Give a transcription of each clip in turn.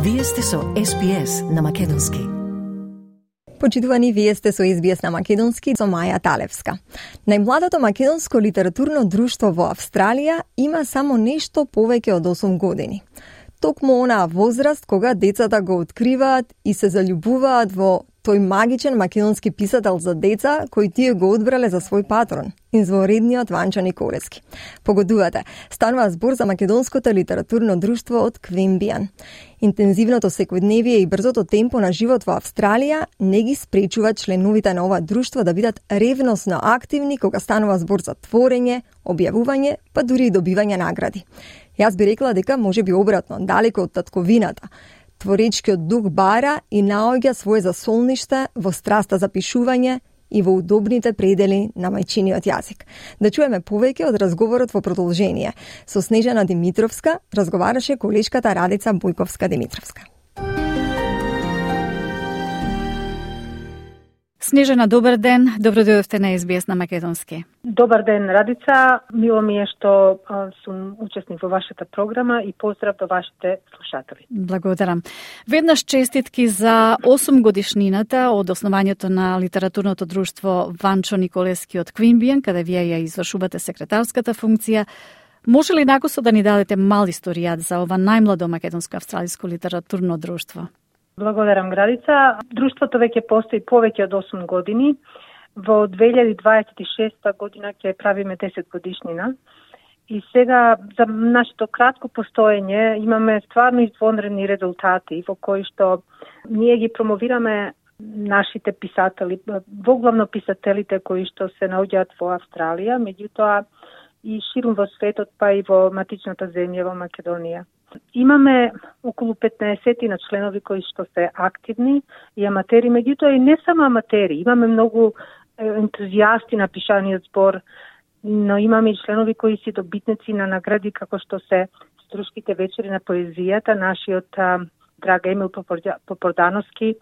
Вие сте со SBS на македонски. Почитувани, вие сте со SBS на македонски со Маја Талевска. Најмладото македонско литературно друштво во Австралија има само нешто повеќе од 8 години. Токму онаа возраст кога децата го откриваат и се заљубуваат во тој магичен македонски писател за деца кој тие го одбрале за свој патрон, изворедниот Ванчо Николевски. Погодувате, станува збор за македонското литературно друштво од Queanbeyan. Интензивното секојдневие и брзото темпо на живот во Австралија не ги спречува членовите на ова друштво да бидат ревносно активни кога станува збор за творење, објавување, па дури и добивање награди. Јас би рекла дека може би обратно, далеко од татковината. Творечкиот дух бара и наоѓа своје засолниште во страста за пишување и во удобните предели на мајчиниот јазик. Да чуеме повеќе од разговорот во продолжение. Со Снежана Димитровска разговараше колешката Радица Бојковска-Димитровска. Снежана, добар ден. Добро дојдовте на SBS на македонски. Добар ден, Радица. Мило ми е што сум учесник во вашата програма и поздрав до вашите слушатели. Благодарам. Веднаш честитки за 8 годишнината од основањето на литературното друштво Ванчо Николевски од Queanbeyan, каде вие ја извршувате секретарската функција. Може ли накусо да ни дадете мал историјат за ова најмладо македонско-австралиско литературно друштво? Благодарам, Градица. Друштвото веќе постои повеќе од 8 години. Во 2026 година ќе правиме 10 годишнина. И сега, за нашето кратко постоење, имаме стварно извонредни резултати во кои што ние ги промовираме нашите писатели, воглавно писателите кои што се наоѓаат во Австралија, меѓутоа и ширум во светот, па и во матичната земја во Македонија. Имаме околу 15 на членови кои што се активни и аматери, меѓутоа и не само аматери. Имаме многу ентузијасти на пишаниот збор, но имаме и членови кои си добитници на награди како што се Струшките вечери на поезијата, нашиот драг Емил Попордановски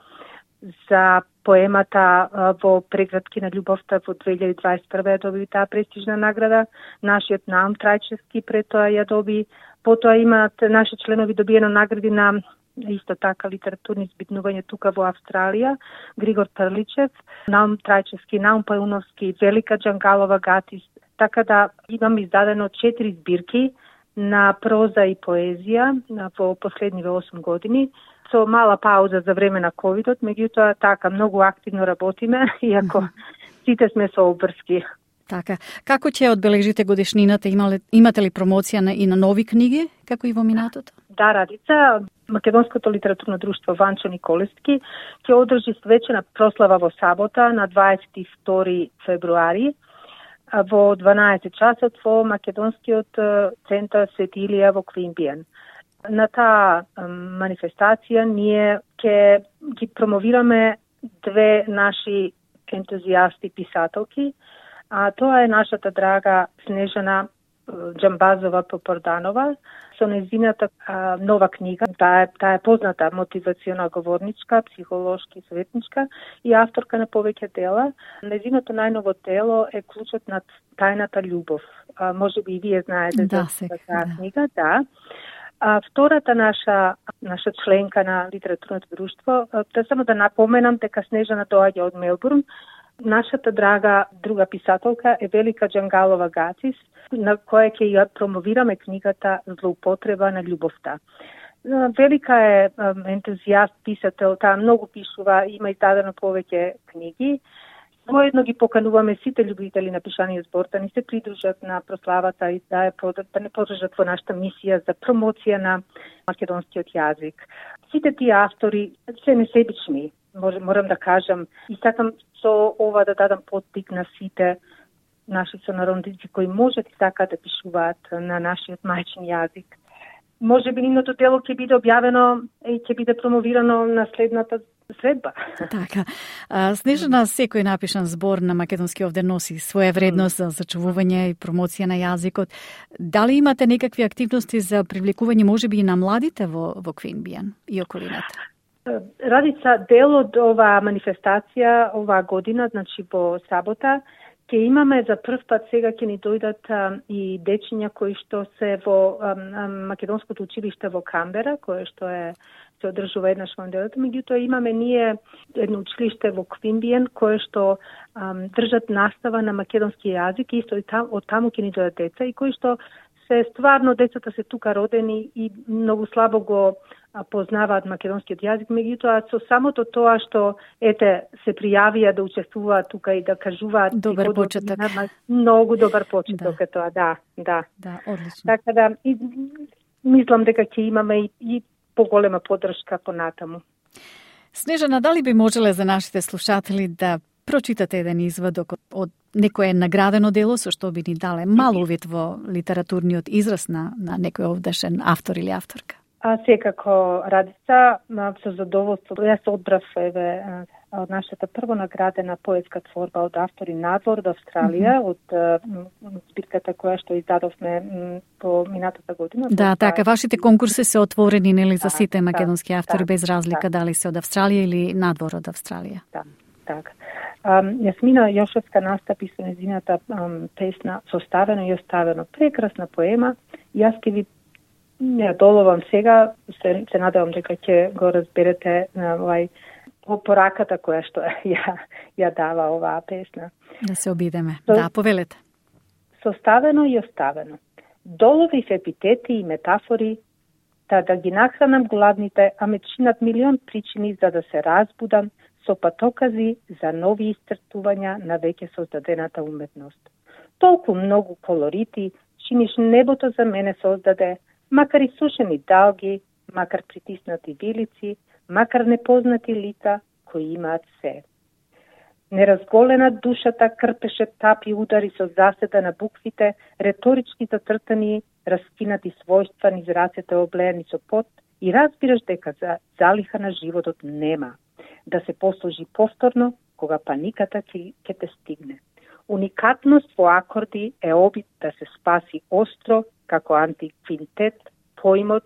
за поемата во Преградки на љубовта во 2021 ја доби таа престижна награда, нашиот Наум Трајчевски пред тоа ја доби. Потоа имаат наши членови добиено награди на исто така литературни збитнувања тука во Австралија, Григор Прличев, Наум Трајчевски, Наум Пајуновски, Велика Джангалова Гатис. Така да имам издадено 4 збирки на проза и поезија во последниве 8 години, со мала пауза за време на ковидот, меѓутоа така многу активно работиме, иако сите сме со обврски. Така. Како ќе одбележите годишнината? Имате ли промоција и на нови книги, како и во минатото? Да, Радица. Македонското литературно друштво Ванчо Николевски ќе одржи свечена прослава во сабота на 22 февруари во 12 часот во Македонскиот центар Свети Илија во Queanbeyan. На таа манифестација ние ќе ги промовираме две наши ентузијасти писателки, а тоа е нашата драга Снежана Џамбазова Попорданова со нејзината нова книга. Таа е позната мотивациона говорничка, психолошки советничка и авторка на повеќе дела. Нејзиното најново дело е Клучот на тајната љубов. Може би и вие знаете за таа книга, да. Втората наша членка на литературното друштво, само да напоменам дека Снежана доаѓа од Мелбурн. Нашата драга друга писателка е Велика Джангалова Гатис, на која ќе ја промовираме книгата Злоупотреба на љубовта. Велика е ентузијаст писател, таа многу пишува, има издадено повеќе книги. Моедно ги покануваме сите љубители на пишаниот збор да ни се придружат на прославата и да не подржат во нашата мисија за промоција на македонскиот јазик. Сите тие автори се несебични, морам да кажам, и сакам со ова да дадам поттик на сите наши сонародници кои можат и сакаат да пишуваат на нашиот мајчин јазик. Може би нивното дело ќе биде објавено и ќе биде промовирано на следната средба. Така. Снежана, секој напишан збор на македонски овде носи своја вредност за зачувување и промоција на јазикот. Дали имате некакви активности за привлекување можеби и на младите во Queanbeyan и околината? Радица, дел од оваа манифестација оваа година, значи во сабота, Ке имаме за прв пат сега ќе ни дојдат и дечиња кои што се во Македонското училиште во Камбера, кое што се одржува еднаш во неделата, меѓутоа имаме ние едно училиште во Квинбиен кое што држат настава на македонски јазик и исто од таму ќе ни дојдат деца и кои што се стварно децата се тука родени и многу слабо го познаваат македонскиот јазик, меѓутоа со самото тоа што се пријавија да учествуваат тука и да кажуваат добар почеток. Многу добар почеток е тоа, да. Да, одлично. Така да мислам дека ќе имаме и поголема поддршка понатаму. Снежана, дали би можеле за нашите слушатели да прочитате еден извадок од некое наградено дело со што би ни дале мал увид во литературниот израз на некој овдешен автор или авторка? Секако, Радица, со задоволство. Јас одбрав од нашата прво наградена поетска творба од автори Надвор од Австралија, од збирката која што издадовме по минатата година. Да, така, вашите конкурси се отворени нели за сите македонски автори без разлика дали се од Австралија или Надвор од Австралија. Да, така. Јасмина Јошевска настапи со незината песна Составено и оставено. Прекрасна поема. Јас ќе ви ја доловам сега, се надевам дека ќе го разберете по пораката која што ја дава оваа песна. Да се обидеме. Да, повелете. Составено и оставено. Доловив епитети и метафори, да ги нахранам гладните, а ме чинат милион причини за да се разбудам со патокази за нови истртувања на веќе создадената уметност. Толку многу колорити, чиниш небото за мене создаде, макар и сушени далги, макар притиснати вилици, макар непознати лица кои имаат се. Неразголена душата крпеше тапи удари со заседа на буквите, реторички зацртани, раскинати својства низ рацете облеени со пот и разбираш дека залиха на животот нема. Да се послужи повторно, кога паниката ќе те стигне. Уникатност во акорди е обид да се спаси остро, како антиквинтет, поимот,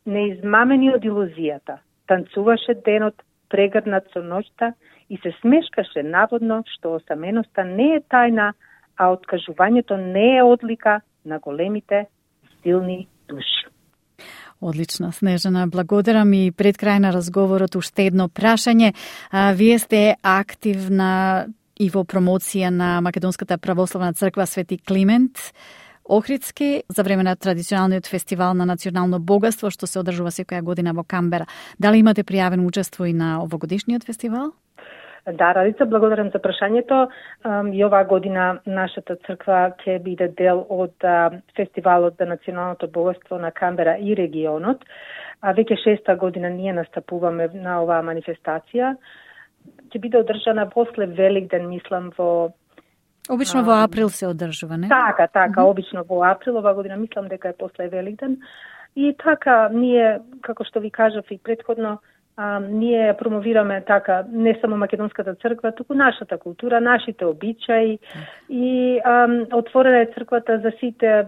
неизмамени од илузијата. Танцуваше денот, прегрнат со ноќта и се смешкаше наводно што осаменоста не е тајна, а откажувањето не е одлика на големите, силни души. Одлично, Снежана, благодарам и пред крај на разговорот уште едно прашање. Вие сте активна и во промоција на Македонската православна црква Свети Климент Охридски за време на традиционалниот фестивал на национално богатство што се одржува секоја година во Камбера. Дали имате пријавено учество и на овогодишниот фестивал? Да, Радица, благодарам за прашањето. И оваа година нашата црква ќе биде дел од фестивалот за националното богатство на Камбера и регионот. Веќе 6-та година ние настапуваме на оваа манифестација. Ќе биде одржана после Великден, мислам, во обично во април се одржува, не? Така, обично во април, оваа година мислам дека е после Великден. И така, ние, како што ви кажав и претходно, ние промовираме така не само Македонската црква, туку нашата култура, нашите обичаи и отворена е црквата за сите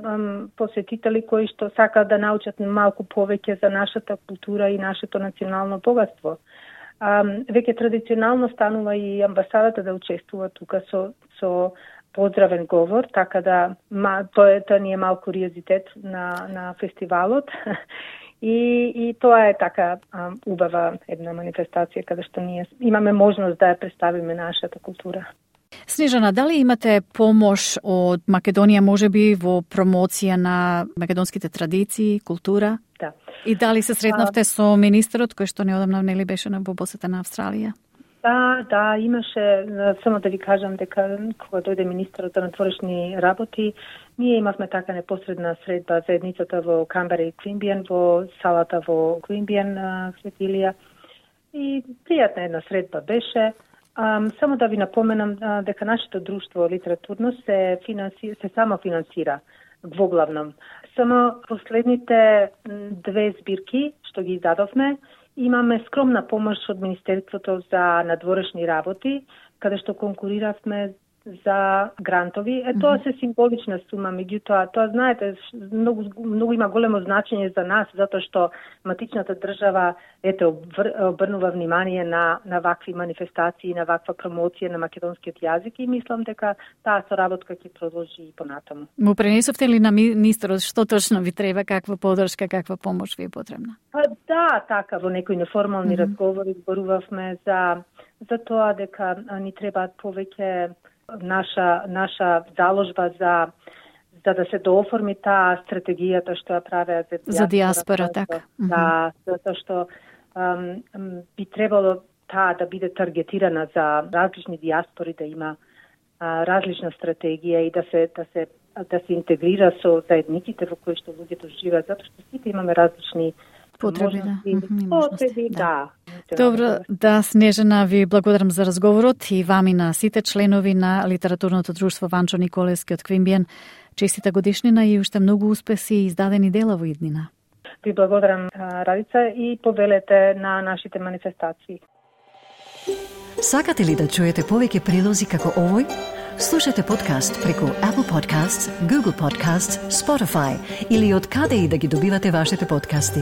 посетители кои што сакаат да научат малку повеќе за нашата култура и нашето национално богатство. Веќе традиционално станува и амбасадата да учествува тука со поздравен говор, така да тоа ни е мал куриозитет на фестивалот. И тоа е така убава една манифестација каде што ние имаме можност да ја представиме нашата култура. Снежана, дали имате помош од Македонија можеби во промоција на македонските традиции, култура? Да. И дали се сретнавте со министерот кој што неодамна нели беше во посета на Австралија? Да, имаше, само да ви кажам дека кога дојде министерот на надворешни работи, ние имавме така непосредна средба заедницата во Камбера и Квинбиен, во салата во Квинбиен, Светилија. И пријатна една средба беше. Само да ви напоменам дека нашето друштво литературно се самофинансира воглавном. Само последните 2 збирки што ги издадовме, имаме скромна помош од Министерството за надворешни работи, каде што конкуриравме за грантови. Тоа се символична сума, меѓутоа, тоа знаете, многу има големо значење за нас, затоа што матичната држава обрнува внимание на вакви манифестации, на ваква промоција на македонскиот јазик и мислам дека таа соработка ќе продолжи и понатаму. Му пренесовте ли на министерот што точно ви треба, каква поддршка, каква помош ви е потребна? Да, така, во некои неформални разговори зборувавме за тоа дека ни требаат повеќе наша заложба за да се дооформи таа стратегијата што ја правеа за диаспора, така. Да, затоа што би требало таа да биде таргетирана за различни диаспори, да има различна стратегија и да се интегрира со заедниците во кои што луѓето живеат, затоа што сите имаме различни потреби, да. Добро, да, Снежана, ви благодарам за разговорот и вами на сите членови на Литературното друштво Ванчо Николевски од Квинбиен. Честита годишнина и уште многу успеси и издадени дела во иднина. Ви благодарам, Радица, и повелете на нашите манифестации. Сакате ли да чуете повеќе прилози како овој? Слушате подкаст преку Apple Podcasts, Google Podcasts, Spotify или од каде и да ги добивате вашите подкасти.